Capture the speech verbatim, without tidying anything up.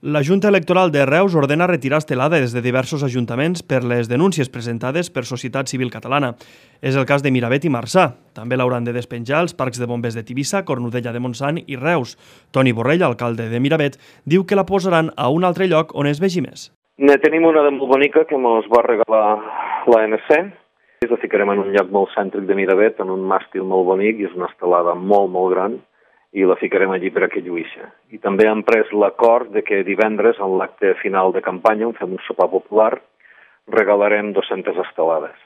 La Junta Electoral de Reus ordena retirar estelades de diversos ajuntaments per les denúncies presentades per Societat Civil Catalana. És el cas de Miravet i Marçà. També l'hauran de despenjar els parcs de bombers de Tivissa, Cornudella de Montsant i Reus. Toni Borrell, alcalde de Miravet, diu que la posaran a un altre lloc on es vegi més. Ne tenim una de molt bonica que ens va regalar l'A N C. La ficarem en un lloc molt cèntric de Miravet, en un màstil molt bonic, i és una estelada molt, molt gran, i la ficarem allí per a que lluïxa. I també hem pres l'acord de que divendres, en l'acte final de campanya, on fem un sopar popular, regalarem dues-centes estelades.